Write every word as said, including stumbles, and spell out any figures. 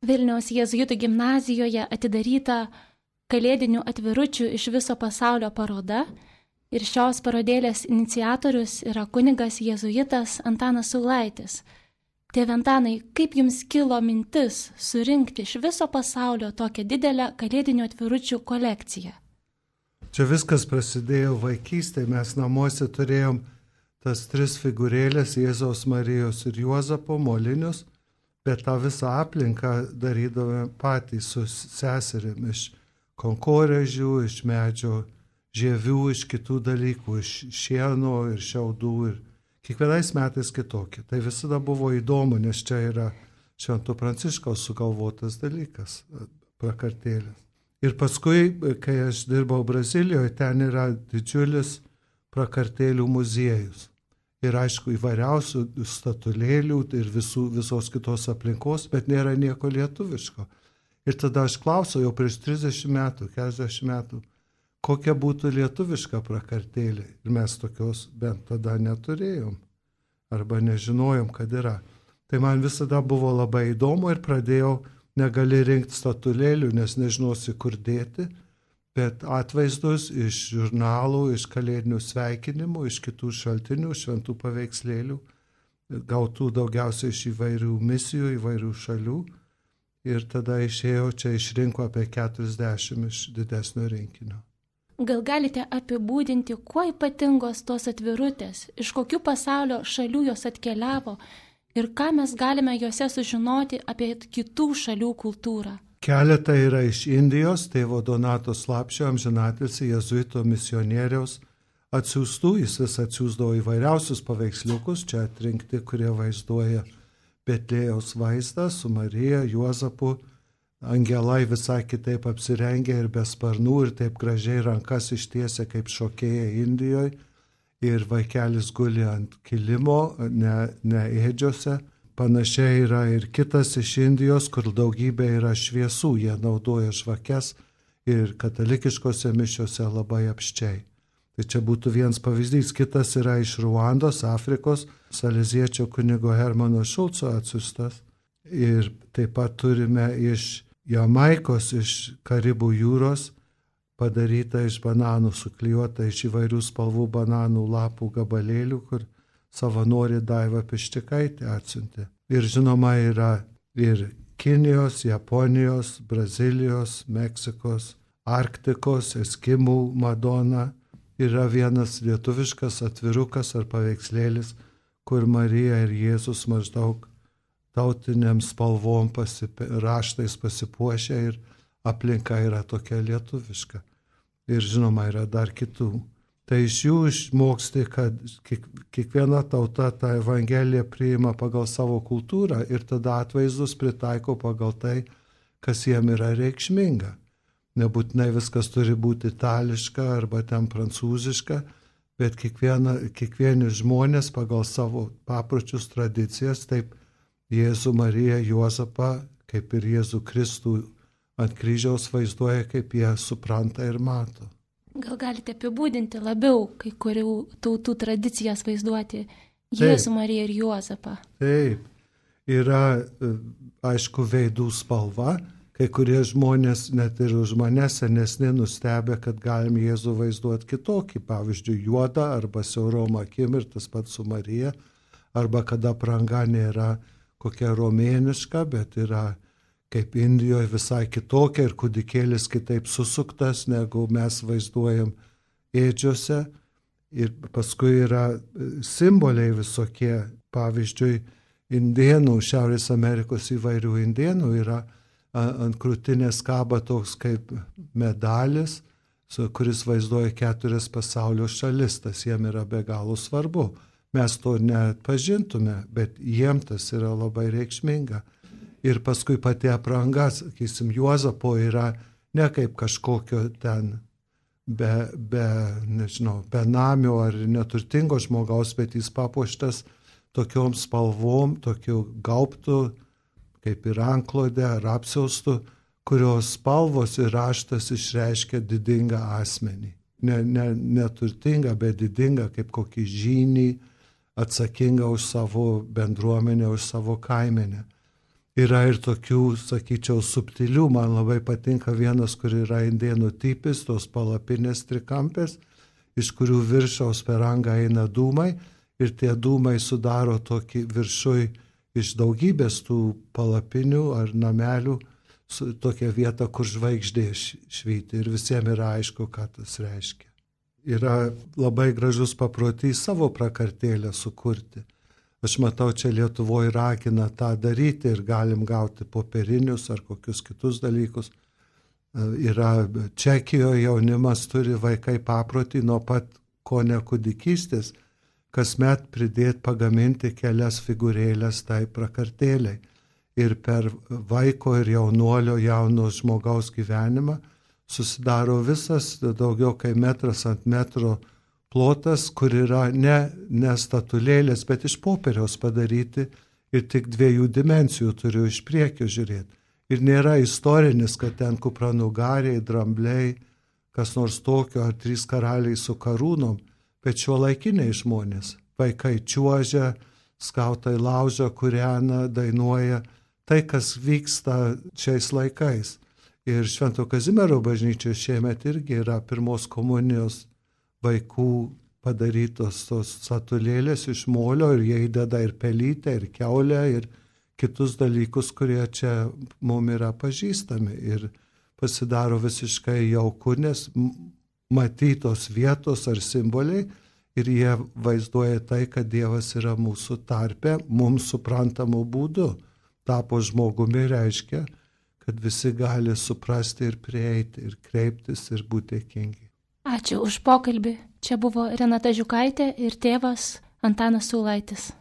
Vilniaus jėzuitų gimnazijoje atidaryta kalėdinių atviručių iš viso pasaulio paroda ir šios parodėlės iniciatorius yra kunigas jėzuitas Antanas Saulaitis. Tėve Antanai, kaip jums kilo mintis surinkti iš viso pasaulio tokią didelę kalėdinių atviručių kolekciją? Čia viskas prasidėjo vaikystėje. Mes namuose turėjom tas tris figūrėlės Jėzaus, Marijos ir Juozapo molinius, bet tą visą aplinką darydavome patys su seserim iš konkorėžių, iš medžio žievių, iš kitų dalykų, iš šieno ir šiaudų ir kiekvienais metais kitokie. Tai visada buvo įdomu, nes čia yra Švento Pranciškaus sugalvotas dalykas, prakartėlės. Ir paskui, kai aš dirbau Brazilijoje, ten yra didžiulis prakartėlių muziejus. Ir aišku, įvairiausių statulėlių ir visų, visos kitos aplinkos, bet nėra nieko lietuviško. Ir tada aš klausiau jau prieš trisdešimt metų, keturiasdešimt metų, kokia būtų lietuviška prakartėlė. Ir mes tokios bent tada neturėjom. Arba nežinojom, kad yra. Tai man visada buvo labai įdomu ir pradėjau, negali rinkti statulėlių, nes nežinosi, kur dėti, bet atvaizdus iš žurnalų, iš kalėdinių sveikinimų, iš kitų šaltinių, šventų paveikslėlių, gautų daugiausiai iš įvairių misijų, įvairių šalių. Ir tada išėjo, čia išrinko apie keturiasdešimt iš didesnio rinkinio. Gal galite apibūdinti, kuo ypatingos tos atvirutės, iš kokių pasaulio šalių jos atkeliavo ir ką mes galime juose sužinoti apie kitų šalių kultūrą? Keletą yra iš Indijos, tėvo Donato Slapšio, amžinatilsį jėzuito misionieriaus atsiųstų. Jis vis atsiųsdavo įvairiausius paveiksliukus, čia atrinkti, kurie vaizduoja Betlėjaus vaizdą su Marija, Juozapu. Angelai visai kitaip apsirengę ir be sparnų ir taip gražiai rankas ištiesia kaip šokėja Indijoje. Ir vaikelis guli ant kilimo, ne, ne ėdžiose. Panašiai yra ir kitas iš Indijos, kur daugybė yra šviesų. Jie naudoja žvakes ir katalikiškose mišiose labai apščiai. Tai čia būtų vienas pavyzdys. Kitas yra iš Ruandos, Afrikos, saleziečio kunigo Hermano Šulco atsiųstas. Ir taip pat turime iš Jamaikos, iš Karibų jūros, padaryta iš bananų, suklijuota iš įvairių spalvų bananų lapų gabalėlių, kur savanorė Daiva Pištikaitė atsiuntė. Ir žinoma yra ir Kinijos, Japonijos, Brazilijos, Meksikos, Arktikos, Eskimų Madona. Yra vienas lietuviškas atvirukas ar paveikslėlis, kur Marija ir Jėzus maždaug tautiniam spalvom pasip... raštais pasipuošę ir aplinka yra tokia lietuviška. Ir žinoma, yra dar kitų. Tai iš jų išmoksti, kad kiek, kiekviena tauta tą evangeliją priima pagal savo kultūrą ir tada atvaizdus pritaiko pagal tai, kas jiem yra reikšminga. Nebūtinai viskas turi būti itališka arba ten prancūziška, bet kiekviena, kiekvieni žmonės pagal savo papročius, tradicijas, taip Jėzų, Mariją, Juozapą, kaip ir Jėzų Kristų ant kryžiaus vaizduoja, kaip jie supranta ir mato. Gal galite apibūdinti labiau kai kurių tautų tradicijas vaizduoti Jėzų, Taip. Mariją ir Juozapą? Taip, yra aišku veidų spalva, kai kurie žmonės net ir už mane senesni nustebę, kad galim Jėzų vaizduoti kitokį, pavyzdžiui, juodą arba siaurom akim ir tas pats su Marija, arba kada apranga nėra kokia romėniška, bet yra kaip Indijoje visai kitokia ir kūdikėlis kitaip susuktas, negu mes vaizduojam ėdžiose. Ir paskui yra simboliai visokie, pavyzdžiui, indėnų, Šiaurės Amerikos įvairių indėnų yra ant krūtinės kaba toks kaip medalis, kuris vaizduoja keturias pasaulio šalis, tas jiem yra be galo svarbu. Mes to neatpažintume, bet jiem tas yra labai reikšminga. Ir paskui pati apranga, sakysim, Juozapo yra ne kaip kažkokio ten be, be, nežinau, benamio ar neturtingo žmogaus, bet jis papuoštas tokiom spalvom, tokiu gaubtu, kaip ir anklodė ar apsiaustų, kurios spalvos ir raštas išreiškia didingą asmenį. Ne, ne, neturtingą, bet didingą, kaip kokį žynį, atsakingą už savo bendruomenę, už savo kaimenę. Yra ir tokių, sakyčiau, subtilių, man labai patinka vienas, kur yra indėnų tipis, tos palapinės trikampės, iš kurių viršaus per angą eina dūmai ir tie dūmai sudaro tokį viršui iš daugybės tų palapinių ar namelių, tokią vietą, kur žvaigždė švyti ir visiems yra aišku, ką tas reiškia. Yra labai gražus paprotys savo prakartėlę sukurti. Aš matau, čia Lietuvoje ragina tą daryti ir galim gauti popierinius ar kokius kitus dalykus. Yra Čekijoje jaunimas turi vaikai paprotį nuo pat kone kūdikystės, kasmet pridėti pagaminti kelias figūrėlės tai prakartėliai. Ir per vaiko ir jaunuolio jauno žmogaus gyvenimą susidaro visas daugiau kaip metras ant metro plotas, kur yra ne, ne statulėlės, bet iš popieriaus padaryti ir tik dviejų dimensijų turiu iš priekio žiūrėti. Ir nėra istorinis, kad ten kupranugariai, drambliai, kas nors tokio, ar trys karaliai su karūnom, bet šiuolaikiniai žmonės. Vaikai čiuožia, skautai laužia, kūrena, dainuoja. Tai, kas vyksta šiais laikais. Ir Švento Kazimiero bažnyčioje šiemet irgi yra pirmos komunijos vaikų padarytos tos statulėlės iš molio ir jie įdeda ir pelytę, ir kiaulę, ir kitus dalykus, kurie čia mums yra pažįstami. Ir pasidaro visiškai jauku, nes matytos vietos ar simboliai ir jie vaizduoja tai, kad Dievas yra mūsų tarpe, mums suprantamų būdų. Tapo žmogumi reiškia, kad visi gali suprasti ir prieiti, ir kreiptis, ir būti dėkingi. Ačiū už pokalbį. Čia buvo Renata Žiukaitė ir tėvas Antanas Saulaitis.